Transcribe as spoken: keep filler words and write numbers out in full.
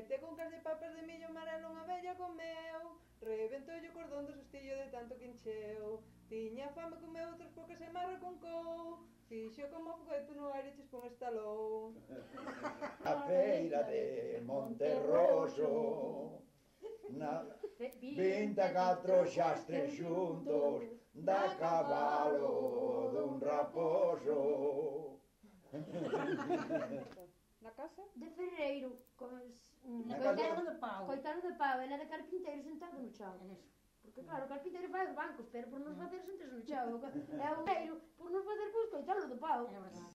Mete con cas de papas de millo amarelo unha vella comeu, reventoulle o cordón do sustillo de tanto que encheu, tiña fame comeu outras pocas e máis reconcou, fixo como o foguete no aire e chispón estalou. A feira de Monterroso, na vinte e catro xastres xuntos, da cabalo dun raposo. Na casa? De ferreiro, cos... Na Coitado casa- de pau. coitado de pau, e na de carpinteiro sentado no chão. É eso. Porque claro, o carpinteiro fai os bancos, pero por nos facer sentarse no chão. É o ferreiro, por nos facer pois coitado de pau. É verdade.